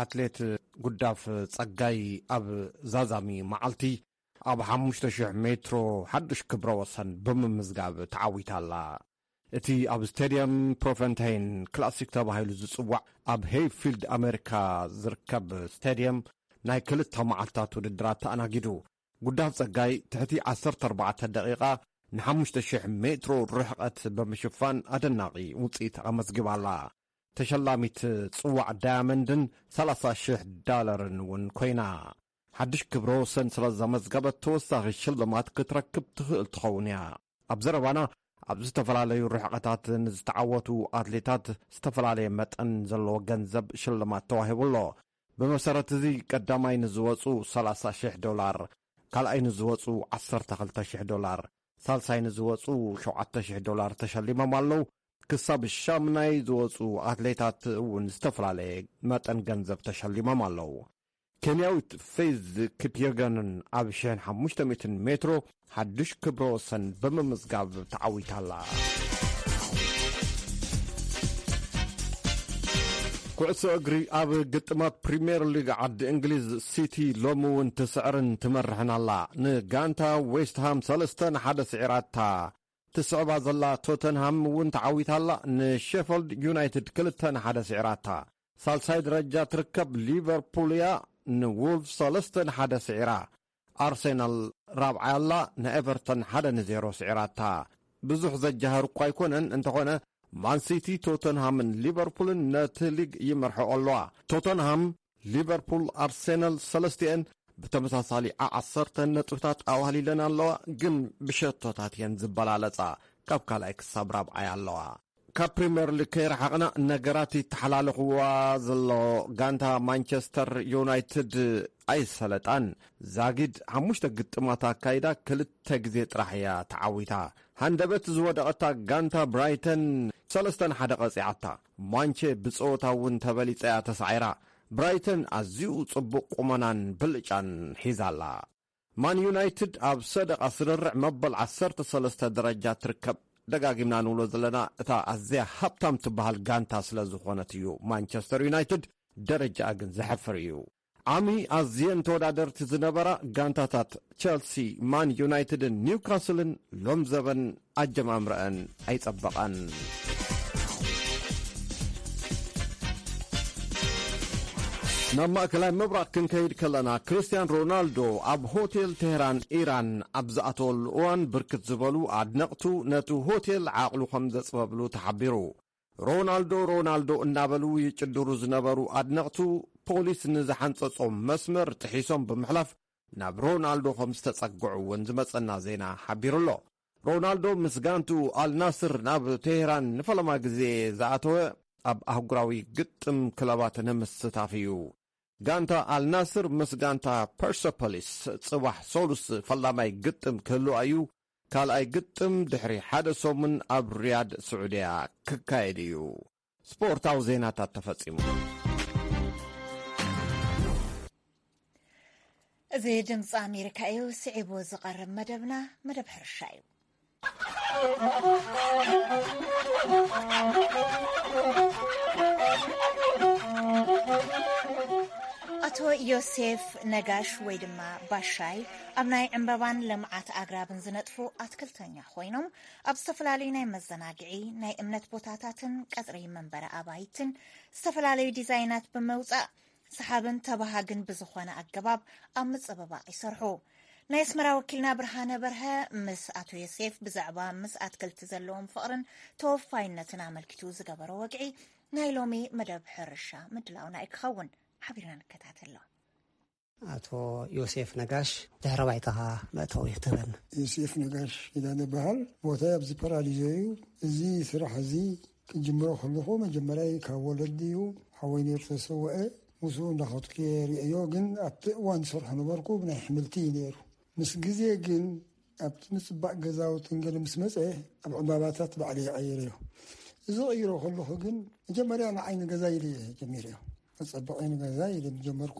ኣትሌት ጉዳፍ ጸጋይ ኣብ ዛዛሚ መዓልቲ ኣብ ሓሙሽተ ሽሕ ሜትሮ ሓድሽ ክብረ ወሰን ብምምዝጋብ ተዓዊታ ኣላ። እቲ ኣብ ስቴድየም ፕሮፈንታይን ክላሲክ ተባሂሉ ዝጽዋዕ ኣብ ሄይፊልድ ኣሜሪካ ዝርከብ ስቴድየም ናይ ክልተ መዓልታት ውድድራት ተኣናጊዱ። ጉዳፍ ጸጋይ ትሕቲ ዓሰርተ ኣርባዕተ ደቂቓ ንሓሙሽተ ሽሕ ሜትሮ ርሕቐት ብምሽፋን ኣደናቒ ውጽኢት ኣመዝጊባ ኣላ። ተሸላሚት ጽዋዕ ዳያመንድን ሰላሳ ሽሕ ዳለርን እውን ኮይና። ሓድሽ ክብረ ወሰን ስለ ዘመዝገበት ተወሳኺ ሽልማት ክትረክብ ትኽእል ትኸውን እያ። ኣብ ዘረባና ኣብ ዝተፈላለዩ ርሕቐታት ንዝተዓወቱ ኣትሌታት ዝተፈላለየ መጠን ዘለዎ ገንዘብ ሽልማት ተዋሂቡ ኣሎ። ብመሰረት እዚ ቀዳማይ ንዝወጹ ሰላሳ ሽሕ ዶላር፣ ካልኣይ ንዝወጹ ዓሰርተ ክልተ ሽሕ ዶላር፣ ሳልሳይ ንዝወጹ ሸውዓተ ሽሕ ዶላር ተሸሊሞም ኣለዉ። ክሳብ ሻምናይ ዝወጹ ኣትሌታት እውን ዝተፈላለየ መጠን ገንዘብ ተሸሊሞም ኣለዉ። ኬንያዊት ፌዝ ኪፕየገንን ኣብ ሽሕን ሓሙሽተ ሚእትን ሜትሮ ሓድሽ ክብረ ወሰን ብምምዝጋብ ተዓዊታ ኣላ። ኩዕሶ እግሪ። ኣብ ግጥማት ፕሪምየር ሊግ ዓዲ እንግሊዝ፣ ሲቲ ሎሚ እውን ትስዕርን ትመርሕን ኣላ። ንጋንታ ዌስትሃም ሰለስተ ንሓደ ስዒራታ። ትስዕባ ዘላ ቶተንሃም እውን ተዓዊታ ኣላ። ንሼፈልድ ዩናይትድ ክልተ ንሓደ ስዒራታ። ሳልሳይ ደረጃ ትርከብ ሊቨርፑል እያ፣ ንዎልቭስ ሰለስተ ንሓደ ስዒራ። ኣርሴናል ራብዓይ ኣላ፣ ንኤቨርተን ሓደ ንዜሮ ስዒራታ። ብዙሕ ዘጃህር እኳ ኣይኮነን፣ እንተኾነ ማንሲቲ፣ ቶተንሃምን ሊቨርፑልን ነቲ ሊግ ይመርሕኦ ኣለዋ። ቶተንሃም፣ ሊቨርፑል፣ ኣርሴናል ሰለስቲኤን ብተመሳሳሊ ዓሰርተ ነጥብታት ኣዋህሊለን ኣለዋ፣ ግን ብሸቶታት እየን ዝበላለጻ። ካብ ካልኣይ ክሳብ ራብዓይ ኣለዋ። ካብ ፕሪምየር ሊግ ከይረሓቕና፣ ነገራት ይተሓላለኽዋ ዘሎ ጋንታ ማንቸስተር ዩናይትድ ኣይሰለጣን። ዛጊድ ሓሙሽተ ግጥማት ኣካይዳ ክልተ ግዜ ጥራሕ እያ ተዓዊታ። ሃንደበት ዝወደቐታ ጋንታ ብራይተን ሰለስተ ንሓደ ቀጺዓታ። ማንቸ ብጸወታ እውን ተበሊጸ እያ ተሳዒራ። ብራይተን ኣዝዩ ጽቡቕ ቁመናን ብልጫን ሒዛ ኣላ። ማን ዩናይትድ ኣብ ሰደቓ ስርርዕ መበል ዓሰርተ ሰለስተ ደረጃ ትርከብ። ደጋጊምና ንብሎ ዘለና፣ እታ ኣዝያ ሃብታም ትበሃል ጋንታ ስለ ዝኾነት እዩ። ማንቸስተር ዩናይትድ ደረጃኣ ግን ዘሕፍር እዩ። ዓሚ ኣዝየን ተወዳደርቲ ዝነበራ ጋንታታት ቸልሲ፣ ማን ዩናይትድን ኒውካስልን ሎም ዘበን ኣጀማምረአን ኣይጸበቐን። ናብ ማእከላይ ምብራቕ ክንከይድ ከለና፣ ክርስቲያን ሮናልዶ ኣብ ሆቴል ቴህራን ኢራን ኣብ ዝኣተወሉ እዋን፣ ብርክት ዝበሉ ኣድነቕቱ ነቲ ሆቴል ዓቕሉ ከም ዘጽበብሉ ተሓቢሩ። ሮናልዶ፣ ሮናልዶ እናበሉ ይጭድሩ ዝነበሩ ኣድነቕቱ፣ ፖሊስ ንዝሓንጸጾም መስመር ጥሒሶም ብምሕላፍ፣ ናብ ሮናልዶ ከም ዝተጸግዑ እውን ዝመጸና ዜና ሓቢሩ ኣሎ። ሮናልዶ ምስ ጋንቱ ኣልናስር ናብ ቴህራን ንፈለማ ግዜ ዝኣተወ፣ ኣብ ኣህጉራዊ ግጥም ክለባት ንምስታፍ እዩ። ጋንታ ኣልናስር ምስ ጋንታ ፐርሰፖሊስ ጽባሕ ሰሉስ ፈላማይ ግጥም ክህልዋ እዩ። ካልኣይ ግጥም ድሕሪ ሓደ ሰሙን ኣብ ሪያድ ስዑድያ ክካየድ እዩ። ስፖርታዊ ዜናታት ተፈጺሙ። እዚ ድምፂ ኣሜሪካ እዩ። ስዒቡ ዝቐርብ መደብና መደብ ሕርሻ እዩ። ኣቶ ዮሴፍ ነጋሽ ወይ ድማ ባሻይ ኣብ ናይ ዕምበባን ልምዓት ኣግራብን ዝነጥፉ ኣትክልተኛ ኮይኖም፣ ኣብ ዝተፈላለዩ ናይ መዘናግዒ፣ ናይ እምነት ቦታታትን ቀጽሪ መንበሪ ኣባይትን ዝተፈላለዩ ዲዛይናት ብምውጻእ፣ ሰሓብን ተባሃግን ብዝኾነ ኣገባብ ኣብ ምጽብባቕ ይሰርሑ። ናይ ኣስመራ ወኪልና ብርሃነ በርሀ ምስ ኣቶ ዮሴፍ ብዛዕባ ምስ ኣትክልቲ ዘለዎም ፍቕርን ተወፋይነትን ኣመልኪቱ ዝገበሮ ወግዒ ናይ ሎሚ መደብ ሕርሻ ምድላውና እዩ ክኸውን። ሓቢርና ንከታተሎ። ኣቶ ዮሴፍ ነጋሽ፣ ድሕረ ባይታኻ መእተዊ ክትህበና። ዮሴፍ ነጋሽ ኪዳነ በሃል። ቦታይ ኣብዚ ፓራዲዞ እዩ። እዚ ስራሕ እዚ ክጅምሮ ከለኹ መጀመርያ ካብ ወለዲ እዩ። ሓወይ ነይሩ ተሰወአ። ምስኡ እንዳኸድኩ እየ ርእዮ። ግን ኣብቲ እዋን ዝሰርሖ ነበርኩ ብናይ ኣሕምልቲ እዩ ነይሩ። ምስ ግዜ ግን ኣብቲ ምጽባቕ ገዛውትን ገለ ምስ መጸ፣ ኣብ ዕምባባታት ባዕለይ ይቐይረዮ። እዚ ቀይሮ ከለኹ ግን መጀመርያ ንዓይ ንገዛ ኢለ እየ ጀሚረዮ። መጸበቒ ንገዛ ኢለ ምስ ጀመርኩ፣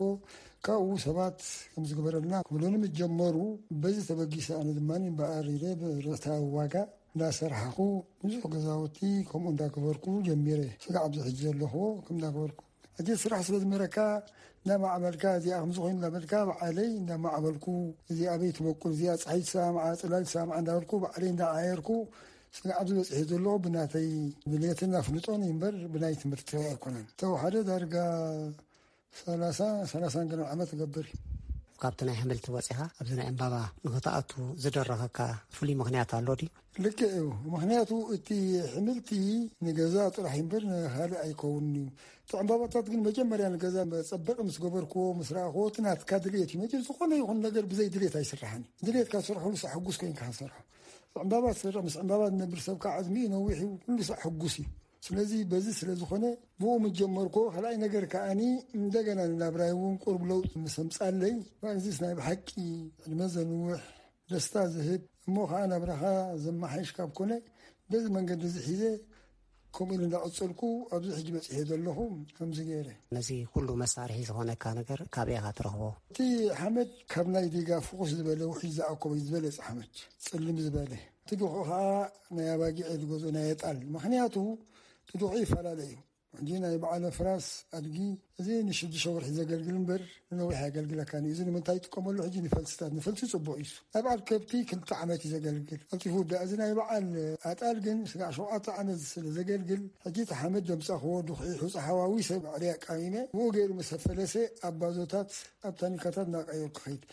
ካብኡ ሰባት ከም ዝግበረልና ክብሉኒ ምስ ጀመሩ፣ በዚ ተበጊሰ ኣነ ድማ እምበኣር ኢለ ብርታዊ ዋጋ እንዳሰርሓኹ ብዙሕ ገዛውቲ ከምኡ እንዳገበርኩ ጀሚረ። ስጋዕ ኣብዚ ሕጂ ዘለኽዎ ከም እንዳገበርኩ። ሕጂ ስራሕ ስለ ዝመረካ እንዳማዕበልካ፣ እዚኣ ከምዚ ኮይኑ እንዳበልካ፣ ባዕለይ እንዳማዕበልኩ፣ እዚኣ ኣበይ ትበቁል፣ እዚኣ ጸሓይ ትሰማምዓ፣ ጽላል ትሰማምዓ እንዳበልኩ፣ ባዕለይ እንዳዓየርኩ፣ ስጋዕ ኣብዚ በጺሐ ዘለኹ ብናተይ ድሌትን ኣፍልጦን እዩ እምበር ብናይ ትምህርቲ ኣይኮነን። ተወሓደ ዳርጋ ሰላሳ፣ ሰላሳን ገለን ዓመት እገብር እዩ። ካብቲ ናይ ኣሕምልቲ ወጺኻ ኣብዚ ናይ ዕምባባ ንኽትኣቱ ዝደረኸካ ፍሉይ ምኽንያት ኣሎ ድዩ? ልክዕ እዩ። ምኽንያቱ እቲ ኣሕምልቲ ንገዛ ጥራሕ እምበር ንኻልእ ኣይከውንን እዩ። እቲ ዕምባባታት ግን መጀመርያ ንገዛ መጸበቒ ምስ ገበርክዎ፣ ምስ ረኣኽዎ፣ እቲ ናትካ ድልየት እዩ። መቸም ዝኾነ ይኹን ነገር ብዘይ ድልየት ኣይስራሕን እዩ። ድልየትካ ትሰርሖ፣ ኩሉ ሳዕ ሕጉስ ኮይንካ ትሰርሖ። ዕምባባ ትሰርሕ፣ ምስ ዕምባባ ዝነብር ሰብ ከዓ ዕድሚኡ ነዊሕ እዩ፣ ኩሉ ሳዕ ሕጉስ እዩ። ስለዚ በዚ ስለ ዝኾነ ብኡ ምስ ጀመርኮ፣ ካልኣይ ነገር ከኣኒ እንደገና ንናብራይ እውን ቁሩብ ለውጢ ምስ ኣምጻለይ፣ እዚስ ናይ ብሓቂ ዕድመ ዘንውሕ፣ ደስታ ዝህብ፣ እሞ ኸዓ ናብራኻ ዘመሓይሽ ካብ ኮነ፣ በዚ መንገዲ እዚ ሒዘ ከምኡ ኢሉ እንዳቐጸልኩ ኣብዚ ሕጂ በጺሐ ዘለኹ ከምዚ ገይረ። ነዚ ኩሉ መሳርሒ ዝኾነካ ነገር ካበይ ኢኻ ትረኽቦ? እቲ ሓመድ ካብ ናይ ዲጋ ፍኹስ ዝበለ፣ ውሕጅ ዝኣኮቦ እዩ፣ ዝበለጸ ሓመድ፣ ጽልም ዝበለ። እቲ ድኹዒ ኸዓ ናይ ኣባጊዕ ዝገዝኦ ናይ ኣጣል። ምኽንያቱ እቲ ድኹዒ ይፈላለ እዩ። ሕጂ ናይ በዓል ኣፍራስ ኣድጊ፣ እዚ ንሽዱሽተ ወርሒ ዘገልግል እምበር ንነዊሕ ኣየገልግለካን እዩ። እዚ ንምንታይ ይጥቀመሉ? ሕጂ ንፈልስታት፣ ንፈልሲ ጽቡቕ እዩ። ናይ በዓል ከብቲ ክልተ ዓመት እዩ ዘገልግል፣ ቀልጢፉ ይውዳእ። እዚ ናይ በዓል ኣጣል ግን ስጋዕ ሸውዓተ ዓመት ስለ ዘገልግል፣ ሕጂ እቲ ሓመድ ደምጻኽዎ፣ ዱኽዒ፣ ሑጻ ሓዋዊሰ ባዕለይ ኣቃሚመ፣ ብኡ ገይሩ ምስ ኣፈለሰ ኣብ ባዞታት፣ ኣብ ታኒካታት እናቀየርኩ ኸይድ።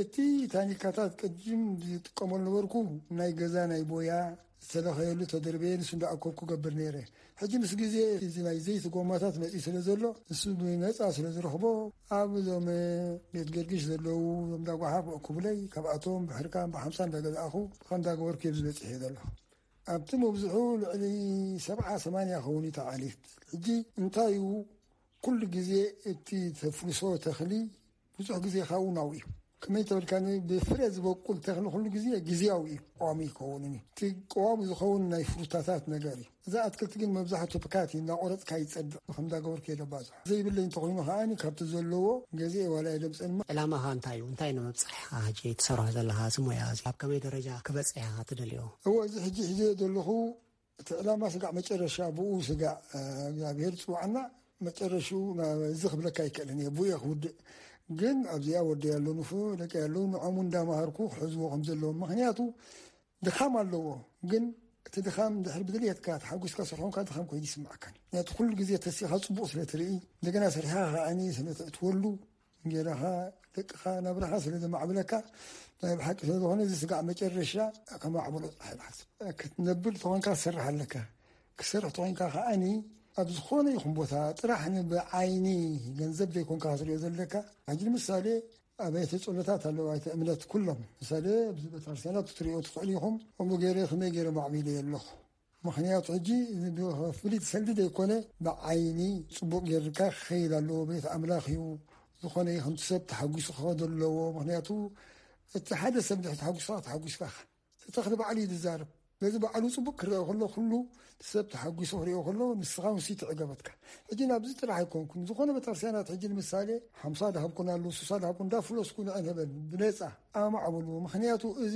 እቲ ታኒካታት ቅድም ዝጥቀመሉ ነበርኩ፣ ናይ ገዛ ናይ ቦያ ዝተለኸየሉ ተደርበየ፣ ንሱ እንዳኣከብኩ ገብር ነይረ። ሕጂ ምስ ግዜ እዚ ናይ ዘይቲ ጎማታት መጺኡ ስለ ዘሎ፣ ንሱ ብነጻ ስለ ዝረኽቦ፣ ኣብ እዞም ቤት ገርግሽ ዘለዉ፣ እዞም እንዳ ጓሓፍ ክብለይ፣ ካብኣቶም ብሕርካን ብሓምሳ እንዳገዛእኹ፣ ብኸም እንዳገበርኩ እየ ዝበጽሕ እየ ዘለኹ። ኣብቲ መብዝሑ ልዕሊ ሰብዓ ሰማንያ ኸውን እዩ ተዓሊት። ሕጂ እንታይ እዩ፣ ኩሉ ግዜ እቲ ተፍርሶ ተኽሊ ብዙሕ ግዜ ካብኡ ናብኡ እዩ። ከመይ ተበልካኒ፣ ብፍረ ዝበቁል ተኽሊ ኩሉ ግዜ ግዜያዊ እዩ፣ ቀዋሚ ይከውንን እዩ። እቲ ቀዋሚ ዝኸውን ናይ ፍሩታታት ነገር እዩ። እዛ ኣትክልቲ ግን መብዛሕትኡ ብካት እዩ፣ እናቆረጽካ ይጸድቕ፣ ብኸም እንዳገበርኩ እየ ደባዝሖ። ዘይብለይ እንተኾይኑ ከኣኒ ካብቲ ዘለዎ ገዚኤ ዋላ የደምጸን። ዕላማኻ እንታይ እዩ? እንታይ ንምብጻሕ ኢኻ ሕጂ ትሰርሖ ዘለኻ እዚ ሞያ እዚ? ኣብ ከመይ ደረጃ ክበጽሕ ኢኻ ትደልዮ? እወ፣ እዚ ሕጂ ሒዘዮ ዘለኹ እቲ ዕላማ ስጋዕ መጨረሻ ብኡ ስጋዕ፣ እ፣ እግዚኣብሔር ዝጽውዓና መጨረሽኡ ናብ እዚ ክብለካ ኣይክእልን እየ፣ ብኡ እየ ክውድእ። ግን ኣብዚኣ ወደይ ኣሎ፣ ንፉዕ ደቂ ኣለዉ፣ ንዖም እንዳምሃርኩ ክሕዝዎ ከም ዘለዎም። ምኽንያቱ ድኻም ኣለዎ፣ ግን እቲ ድኻም ድሕሪ ብድልየትካ ተሓጒስካ ስርሖምካ ድኻም ኮይኑ ይስምዓካን። ምኽንያቱ ኩሉ ግዜ ተሲኻ ጽቡቕ ስለ ትርኢ፣ እንደገና ሰሪሕኻ ከዓኒ ስለ ተእትወሉ፣ እንጌራኻ፣ ደቅኻ፣ ናብራኻ ስለ ዘማዕብለካ፣ ናይ ብሓቂ ስለ ዝኾነ፣ እዚ ስጋዕ መጨረሻ ከማዕብሎ ጥራሕ ኢኻ ክትነብር ተኾንካ፣ ክትሰርሕ ኣለካ። ክትሰርሕ ተኾንካ ከዓኒ፣ ኣብ ዝኾነ ይኹን ቦታ ጥራሕ ንብዓይኒ ገንዘብ ዘይኮንካ ክትሪኦ ዘለካ። ሕጂ ንምሳሌ፣ ኣብያተ ጸሎታት ኣለዉ፣ ኣብያተ እምነት ኩሎም። ምሳሌ፣ ኣብዚ ቤተክርስትያናት ክትሪኦ ትኽእሉ ኢኹም። ከምኡ ገይረ፣ ከመይ ገይረ ማዕቢለ ኣለኹ። ምኽንያቱ ሕጂ ፍሉይ ሰልዲ ዘይኮነ፣ ብዓይኒ ጽቡቕ ጌርካ ክኸይድ ኣለዎ። ቤት ኣምላኽ እዩ። ዝኾነ ይኹን ሰብ ተሓጒሱ ክኸዶ ኣለዎ። ምኽንያቱ እቲ ሓደ ሰብ ድሕሪ ተሓጒስካ፣ ተሓጒስካ ኢኻ። እቲ ተኽሊ ባዕሉ እዩ ዝዛረብ። በዚ ባዕሉ ጽቡቕ ክረአ ከሎ፣ ኩሉ እቲ ሰብ ተሓጒሱ ክሪኦ ከሎ፣ ንስኻ ውሲ ትዕገበትካ። ሕጂ ናብዚ ጥራሕ ኣይኮንኩን። ዝኾነ ቤተክርስትያናት ሕጂ ንምሳሌ፣ ሓምሳ ድሃብኩን ኣለዉ፣ ስሳ ድሃብኩን፣ እንዳፍለስኩ ንዕን ህበን፣ ብነጻ ኣማዕብሉ። ምኽንያቱ እዚ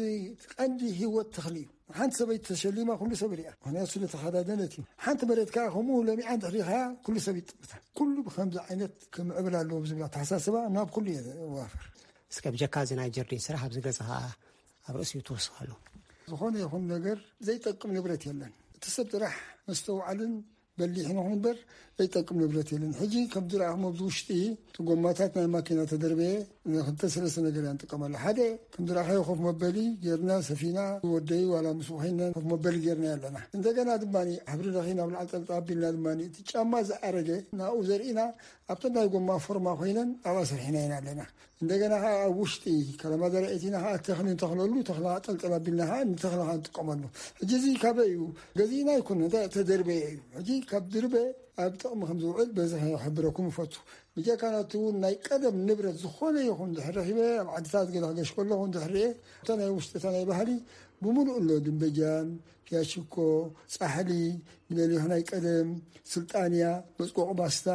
ቀንዲ ህይወት ተኽሊ እዩ። ሓንቲ ሰበይቲ ተሸሊማ ኩሉ ሰብ ሪኣ፣ ምኽንያቱ ስለ ተኸዳደነት እዩ። ሓንቲ መሬት ከኣ ከምኡ ለሚዓ እንድሕር ሪኢኻያ ኩሉ ሰብ ይጥምታ። ኩሉ ብኸምዚ ዓይነት ክምዕብል ኣለዎ ብዝብል ኣተሓሳስባ ናብ ኩሉ እየ እዋፍር። እስከ ብጀካ እዚ ናይ ጀርዲን ስራሕ ኣብዚ ገዛ ከኣ ኣብ ርእሲኡ ትወስኻሉ። ዝኾነ ይኹን ነገር ዘይጠቅም ንብረት የለን። እቲ ሰብ ጥራሕ መስተውዓልን በሊሕ ንኹን እምበር ዘይጠቅም ንብረት የለን። ሕጂ ከም ዝረኣኹም ኣብዚ ውሽጢ እቲ ጎማታት ናይ ማኪና ተደርበየ ንክልተ ሰለስተ ነገር ኢና ንጥቀመሉ። ሓደ ከም ዝረኣኻዮ ኮፍ መበሊ ጌርና ሰፊና፣ ወደይ ዋላ ምስኡ ኮይና ኮፍ መበሊ ጌርና ኣለና። እንደገና ድማ ሕብሪ ረኺ ናብ ላዕሊ ጠልጠል ኣቢልና ድማ እቲ ጫማ ዝኣረገ ናብኡ ዘርኢና ኣብተን ናይ ጎማ ፎርማ ኮይነን ኣብኣ ሰሪሕና ኢና ኣለና። እንደገና ከዓ ኣብ ውሽጢ ከለማ ዘርኢ እቲና ከዓ ተኽሊ ንተኽለሉ፣ ተኽሊ ከዓ ጠልጠል ኣቢልና ከዓ ንተኽሊ ከዓ ንጥቀመሉ። ሕጂ እዚ ካበይ እዩ? ገዚእና ኣይኮነን፣ እንታይ ተደርበየ እዩ። ሕጂ ካብ ድርበ ኣብ ጥቕሚ ከም ዝውዕል በዚ ክሕብረኩም እፈቱ። ብጀካ ናቲ እውን ናይ ቀደም ንብረት ዝኾነ ይኹን ድሕሪ ረኺበ፣ ኣብ ዓድታት ገለ ክገሽ ከለኹ ድሕሪ ርኤ፣ እታ ናይ ውሽጢ፣ እታ ናይ ባህሊ ብምሉእ ኣሎ። ድንበጃን፣ ፊያሽኮ፣ ጻሕሊ፣ ንለሊኹ ናይ ቀደም፣ ስልጣንያ፣ መጽቆቂ ባስታ፣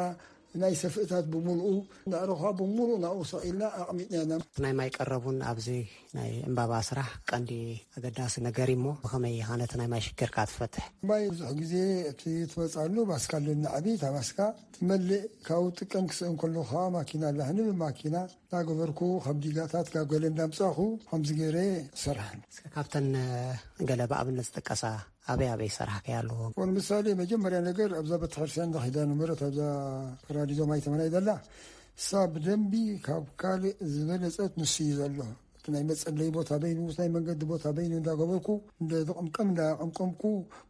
ናይ ሰፍእታት ብምሉኡ፣ ንዕረኻ ብምሉኡ ናብኡ ሰቒልና ኣቕሚጥና ኢና። ናይ ማይ ቀረቡን ኣብዚ ናይ ዕምባባ ስራሕ ቀንዲ ኣገዳሲ ነገር እሞ፣ ብኸመይ ኢኻ ነቲ ናይ ማይ ሽግርካ ትፈትሕ? ማይ ብዙሕ ግዜ እቲ ትመጽኣሉ ባስካ ኣለና ዓቢ፣ እታ ባስካ ትመልእ፣ ካብኡ ጥቀም ክስእን ከሎ ከዓ ማኪና ኣላህኒ ብማኪና እናገበርኩ ካብ ዲጋታት ካብ ገለ እንዳምጻኹ ከምዚ ገይረ እሰርሐን። እስከ ካብተን፣ እ፣ ገለ ብኣብነት ዝጥቀሳ ኣበይ ኣበይ ሰራሕካያ ኣለዎ? ወን ምሳሌ መጀመርያ ነገር ኣብዛ ቤተክርስትያን ኪዳነ ምሕረት ኣብዛ ራዲዮ ማይ ተመናይ ዘላ እሳ ብደንቢ ካብ ካልእ ዝበለጸት ንሱ እዩ ዘሎ። እቲ ናይ መጸለይ ቦታ በይኑ፣ ናይ መንገዲ ቦታ በይኑ እንዳገበርኩ፣ እንደ ዝቕምቀም እንዳቐምቀምኩ፣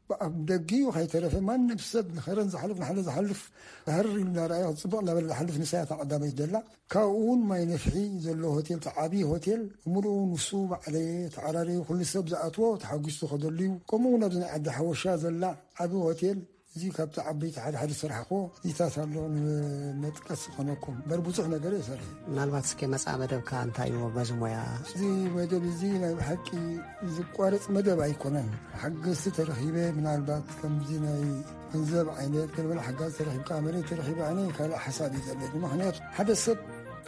ብኣፍ ደጊኡ ከይተረፈ ማንም ሰብ ንኸረን ዝሓልፍ፣ ንሓለ ዝሓልፍ፣ ሃር ኢሉ እንዳረኣየ፣ ክጽብቕ እንዳበለ ዝሓልፍ ንሳ እያ እታ ቀዳመይቲ ዘላ። ካብኡ እውን ማይ ነፍሒ ዘሎ ሆቴል፣ እቲ ዓብዪ ሆቴል፣ ምሉኡ ንሱ ባዕለየ ተዓራረዩ፣ ኩሉ ሰብ ዝኣትዎ ተሓጒሱ ዝኸደሉ እዩ። ከምኡ እውን ኣብዚ ናይ ዓዲ ሓወሻ ዘላ ዓቢ ሆቴል፣ እዚ ካብቲ ዓበይቲ ሓደ ሓደ ዝሰራሕክዎ እዚታት ኣሎ፣ ንመጥቀስ ዝኾነኩም እምበር ብዙሕ ነገር እየ ሰሪሐ። ምናልባት እስከ መጻኢ መደብካ እንታይ እዩ በዚ ሞያ? እዚ መደብ እዚ ናይ ብሓቂ ዝቋረጽ መደብ ኣይኮነን። ሓገዝቲ ተረኺበ፣ ምናልባት ከምዚ ናይ ገንዘብ ዓይነት፣ ገለመለ ሓጋዝ ተረኺብካ፣ መሬት ተረኺበ፣ ኣነ ካልእ ሓሳብ እዩ ዘለኒ። ምኽንያቱ ሓደ ሰብ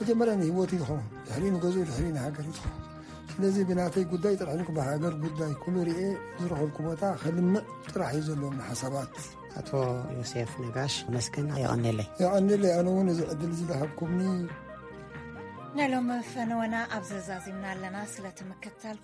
መጀመርያ ንህይወቱ ይኸውን፣ ድሕሪ ንገዝኡ፣ ድሕሪ ንሃገር ይኸውን። ስለዚ ብናተይ ጉዳይ ጥራሕ ኢልኩ ብሃገር ጉዳይ ኩሉ ርኤ ዝረኸብኩ ቦታ ከልምዕ ጥራሕ እዩ ዘለኒ ሓሳባት። ኣቶ ዮሴፍ ነጋሽ መስገን። የቐኔለይ። የቐኔለይ። ኣነ እውን እዚ ዕድል እዚ ዝሃብኩምኒ። ናይ ሎም ፈነወና ኣብ ዘዛዚምና ኣለና። ስለቲ ምክትታል